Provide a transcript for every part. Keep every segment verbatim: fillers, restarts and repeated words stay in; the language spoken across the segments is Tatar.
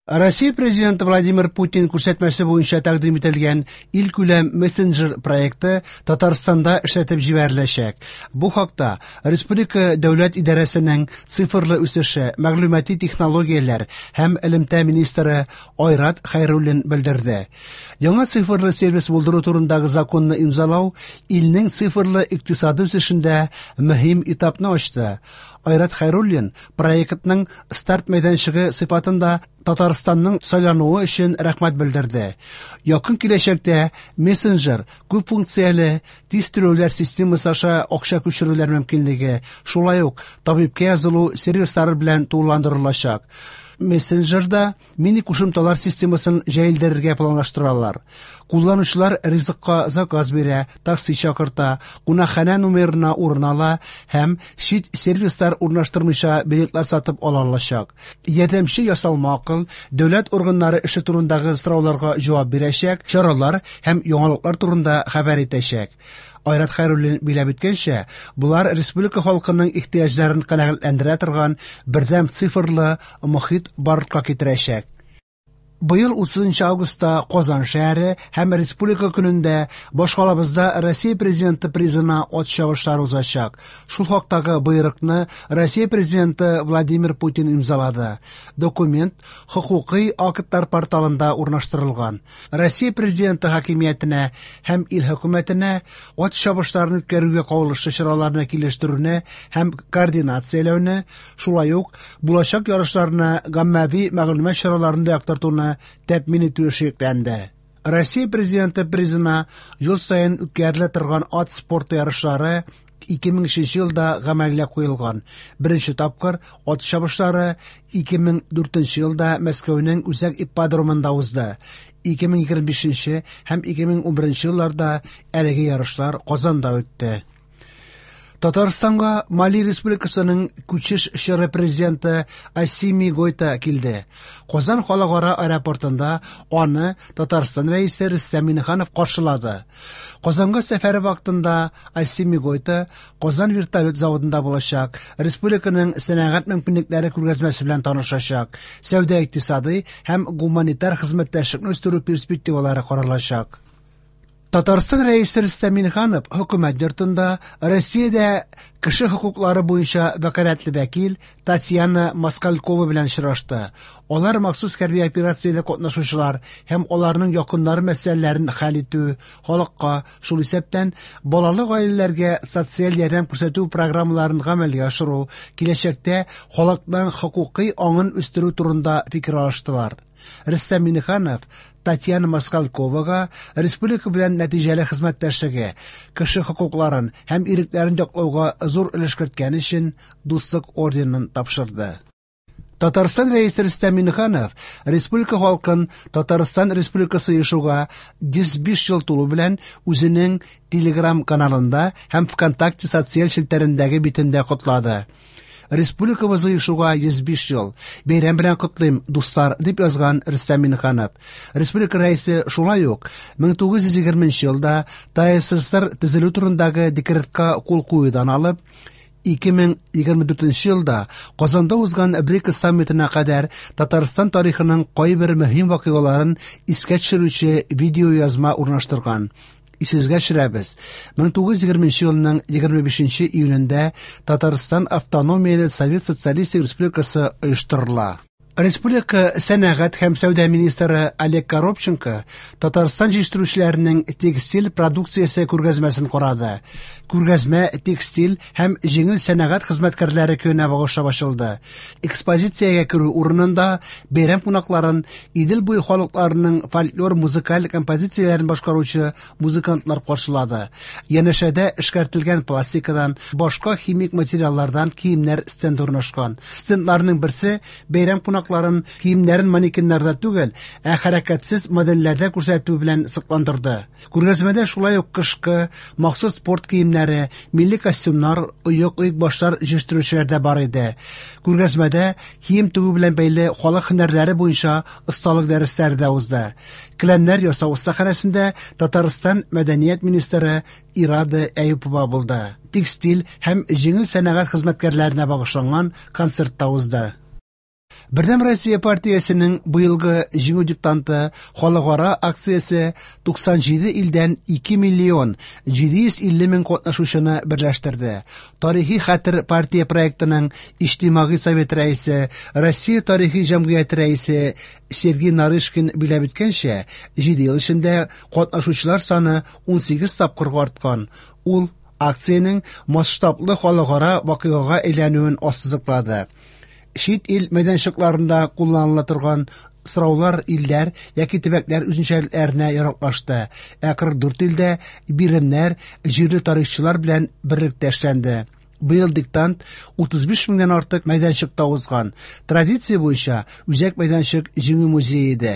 Россия Президенты Владимир Путин күрсәтмәсе буенча тәкъдим ителгән илкүләм мессенджер проекты Татарстанда эшләтеп җибәреләчәк. Бу хакта Республика дәүләт идарәсенең цифрлы үсеше, мәгълүмати технологияләр һәм элемтә министры Айрат Хәйруллин белдерде. Яңа цифрлы сервис булдыру турындагы законны имзалау илнең цифрлы икътисады үсешендә мөһим этапны ачты. Айрат Хәйруллин проектның старт мәйданчыгы сыйфатында Татарстанның сайлануы өчен рәхмәт белдерде. Якын киләчәктә мессенджер күп функцияле тиз түләүләр системасы аша акча күчерүләр мөмкинлеге, шулай ук табибка язылу сервислары белән тулыландырылачак. Мессенджерда мини кушымталар системасын җәелдерергә планлаштыралар. Кулланучылар ризыкка заказ бирә, такси чакырта, кунакханә номерына урын ала һәм чит сервислар урнаштырмыйча билетлар сатып ала алачак. Ярдәмче ясалма акыл дәүләт органнары эше турындагы сорауларга җавап бирәчәк, чаралар һәм яңалыклар турында хәбәр итәчәк. Айрат Хәйруллин биләп үткәнчә, болар республика халкының ихтыяҗларын канәгатьләндерә торган бердәм цифрлы мохит барлыкка китерәчәк. Быел утызынчы августта Казан шәһәре һәм Республика көнендә башкалабызда Россия Президенты призына ат чабышлары узачак. Шул хактагы боерыкны Россия Президенты Владимир Путин имзалады. Документ хокукый актлар порталында урнаштырылган. Россия Президенты хакимиятенә һәм ил хөкүмәтенә ат чабышларын үткәрүгә кагылышлы чараларны килештерүне һәм координацияләүне, шулай ук булачак ярышларны гаммәви мәгълүмат чараларында яктыртуны тәэмин итү эше йөкләнде. Россия Президенты призына ел саен үткәрелә торган ат спорты ярышлары ике мең өченче елда гамәлгә куелган. Беренче тапкыр ат чабышлары ике мең дүртенче елда Мәскәүнең үзәк ипподромында узды. Ике мең егерме бишенче һәм ике мең унберенче елларда әлеге ярышлар Казанда үтте. Татарстанга Мали Республикасының күчеш чоры президенты Асими Гойта килде. Казан халыкара аэропортында аны Татарстан рәисе Рөстәм Миңнеханов каршылады. Казанга сәфәре вакытында Асими Гойта Казан вертолет заводында булачак, республиканың сәнәгать мөмкинлекләре күргәзмәсе белән танышачак, сәүдә-икътисадый һәм гуманитар хезмәттәшлекне үстерү перспективалары каралачак. Татарстан рәисе Рөстәм Миңнеханов хөкүмәт йортында Россиядә кеше хокуклары буенча вәкаләтле вәкил Татьяна Москалькова белән очрашты. Алар махсус хәрби операциядә катнашучылар һәм аларның якыннары мәсьәләләрен хәл итү, халыкка, шул исәптән балалы гаиләләргә социаль ярдәм күрсәтү программаларын гамәлгә ашыру, киләчәктә халыкның хокукый аңын үстерү турында фикер алыштылар. Рөстәм Миңнеханов Татьяна Москальковага республика белән нәтиҗәле хезмәттәшлеге, кеше хокукларын һәм ирекләрен яклауга зур өлеш керткән өчен Дуслык орденын тапшырды. Татарстан рәисе Рөстәм Миңнеханов республика халкын Татарстан Республикасы оешуга йөз биш ел тулу белән үзенең Telegram каналында һәм ВКонтакте социаль челтәрендәге битендә котлады. Республикабыз оешуга йөз биш ел. Бәйрәм белән котлыйм, дуслар, дип язган Рөстәм Миңнеханов. Республика рәисе шулай ук мең тугыз йөз егерменче елда ТАССР төзелү турындагы декретка кул куюдан алып, ике мең егерме дүртенче елда Казанда узган БРИКС саммитына кадәр Татарстан тарихының кайбер мөһим вакыйгаларын искә төшерүче видеоязма урнаштырган. Исегезгә төшерәбез. Мең тугыз йөз егерменче елның егерме бишенче июлендә Татарстан Автономияле Совет Социалистик Республикасы оештырыла. Республика сәнәгать һәм сәүдә министры Олег Коробченко Татарстан җитештерүчеләренең текстиль продукциясе күргәзмәсен карады. Күргәзмә текстиль һәм җиңел сәнәгать хезмәткәрләре көненә багышлап ачылды. Экспозициягә керү урынында бәйрәм кунакларын Идел буе халыкларының фольклор музыкаль композицияләрен башкаручы музыкантлар каршылады. Янәшәдә эшкәртелгән пластикадан, башка химик материаллардан киемнәр стенды урнашкан. Стендларның берсе бәйрәм кунакларын киемнәрен манекеннарда түгел, ә хәрәкәтсез модельләрдә күрсәтү белән сокландырды. Күргәзмәдә шулай ук кышкы, махсус спорт киемнәре, милли костюмнар, оек-оек башлар җитештерүчеләр дә бар иде. Күргәзмәдә кием тегү белән бәйле халык һөнәрләре буенча осталык дәресләре дә узды. Келәмнәр ясау остаханәсендә Татарстан мәдәният министры Ирада Әюпова булды. Текстиль һәм җиңел сәнәгать хезмәткәрләренә багышланган концерт та узды. Бердәм Россия партиясенең быелгы Җиңү диктанты халыкара акциясе туксан җиде илдән ике миллион җиде йөз илле мең катнашучыны берләштерде. Тарихи хәтер партия проектының Иҗтимагый совет рәисе, Россия тарихи җәмгыяте рәисе Сергей Нарышкин биләп үткәнчә, җиде ел эчендә катнашучылар саны унсигез тапкырга арткан. Ул акциянең масштаблы халыкара вакыйгага әйләнүен ассызыклады. Чит ил мәйданчыкларында кулланыла торган сораулар илләр яки төбәкләр үзенчәлекләренә яраклашты, ә кырык дүрт илдә биремнәр җирле тарихчылар белән берлектә эшләнде. Быел диктант утыз биш меңнән артык мәйданчыкта узган. Традиция буенча үзәк мәйданчык Җиңү музее иде.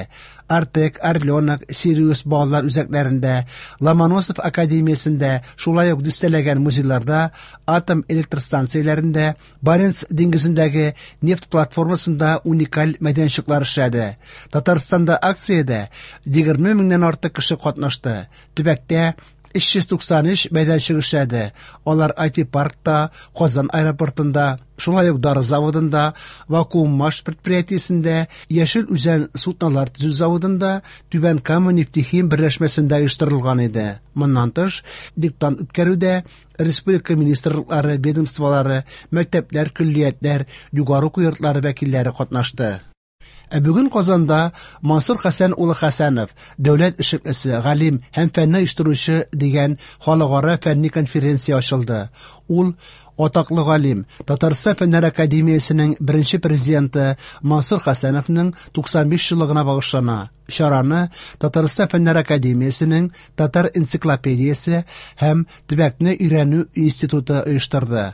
Артек, Орленок, Сириус балалар үзәкләрендә, Ломоносов академиясендә, шулай ук дистәләгән музейларда, атом электростанцияләрендә, Баренц диңгезендәге нефть платформасында уникаль мәйданчыклар эшләде. Татарстанда акциядә егерме меңнән артык кеше катнашты. Төбәктә өч йөз туксан өч мәйданчык эшләде. Алар ай ти-паркта, Казан аэропортында, шулай ук дары заводында, Вакууммаш предприятиесендә, Яшел Үзән суднолар төзү заводында, Түбән Кама нефтехим берләшмәсендә оештырылган иде. Моннан тыш, диктант үткәрүдә республика министрлыклары, ведомстволары, мәктәпләр, көллиятләр, югары уку йортлары вәкилләре катнашты. Ә бүген Казанда Мансур Хәсән улы Хәсәнов, дәүләт эшлеклесе, галим һәм фәнне оештыручы дигән халыкара фәнни конференция ачылды. Ул атаклы галим, Татарстан Фәннәр академиясенең беренче президенты Мансур Хәсәновның туксан биш еллыгына багышлана. Чараны Татарстан Фәннәр академиясенең Татар энциклопедиясе һәм төбәкне өйрәнү институты оештырды.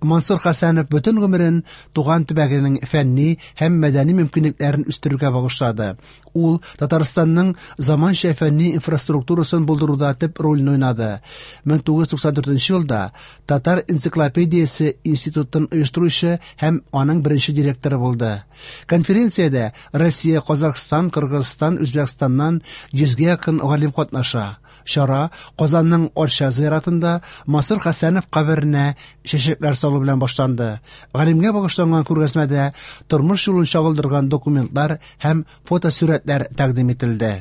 Мансур Хәсәнов бөтен гомерен туган төбәгенең фәнни һәм мәдәни мөмкинлекләрен үстерүгә багышлады. Ул Татарстанның заманча фәнни инфраструктурасын булдыруда төп рольне уйнады. Мең тугыз йөз туксан дүртенче елда Татар энциклопедиясе институтын оештыручы һәм аның беренче директоры булды. Конференциядә Россия, Казахстан, Кыргызстан, Үзбәкстаннан йөзгә якын галим катнаша. Чара Казанның Арча зиратында Мансур Хәсәнов каберенә чәчәкләр салу белән башланды. Галимгә багышланган күргәзмәдә тормыш юлын чагылдырган документлар һәм фотосурәтләр тәкъдим ителде.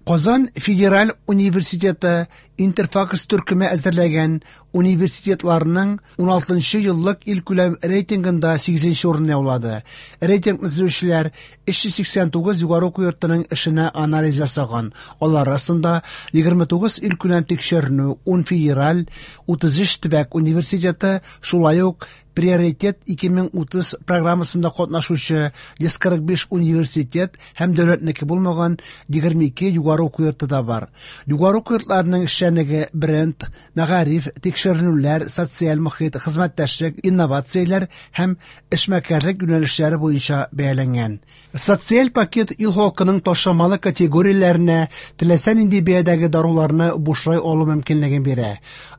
Казан Федераль университеты Интерфакс төркеме әзерләгән университетларның уналтынчы еллык илкүләм рейтингында сигезенче урынны яулады. Рейтингны төзүчеләр өч йөз сиксән тугыз югары уку йортының эшенә анализ ясаган. Алар арасында егерме тугыз илкүләм тикшеренү, ун федераль, утыз өч төбәк университеты, шулай ук Приоритет ике мең утыз программасында катнашучы йөз кырык биш университет һәм дәүләтнеке булмаган егерме ике югары уку йорты да бар. Югары уку йортларының эшчәнлеге бренд, мәгариф, тикшеренүләр, социаль мохит, хезмәттәшлек, инновацияләр һәм эшмәкәрлек юнәлешләре буенча бәяләнгән. Социаль пакет ил халкының ташламалы категорияләренә теләсә нинди бәядәге даруларны бушлай алу мөмкинлеген бирә.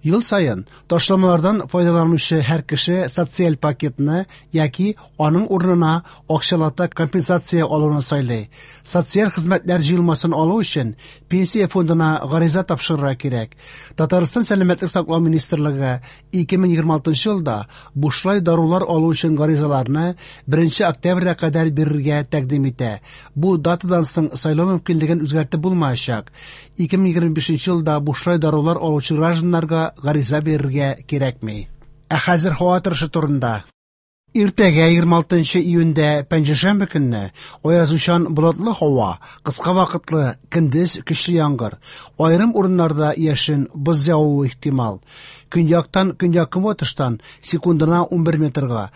Ел саен ташламалардан файдаланучы һәр кеше социаль пакетны яки аның урынына акчалата компенсация алуны сайлый. Социаль хезмәтләр җыелмасын алу өчен пенсия фондына гариза тапшырырга кирәк. Татарстан Сәламәтлек саклау министрлыгы ике мең егерме алтынчы елда бушлай дарулар алу өчен гаризаларны беренче октябрьгә кадәр бирергә тәкъдим итә. Бу датадан соң сайлау мөмкинлеген үзгәртеп булмаячак. Ике мең егерме бишенче елда бушлай дарулар алучы гражданнарга гариза бирергә кирәкми. Ә хәзер һава торышы турында. Иртәгә егерме алтынчы июньдә пәнҗешәмбе көнне аязучан болытлы һава, кыска вакытлы көндез көчле яңгыр, аерым урыннарда яшен, боз явуы ихтимал. Көньяктан көньяк-көнбатыштан секундына унбер метрга,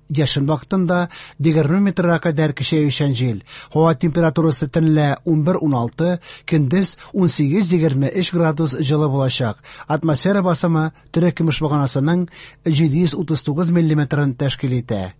яшен вакытында егерме метрга кадәр көчәючән җил. Һава температурасы төнлә унбер уналты, көндез унсигез егерме өч градус җылы булачак. Атмосфера басымы терекөмеш баганасының җиде йөз утыз тугыз миллиметрын тәшкил итә.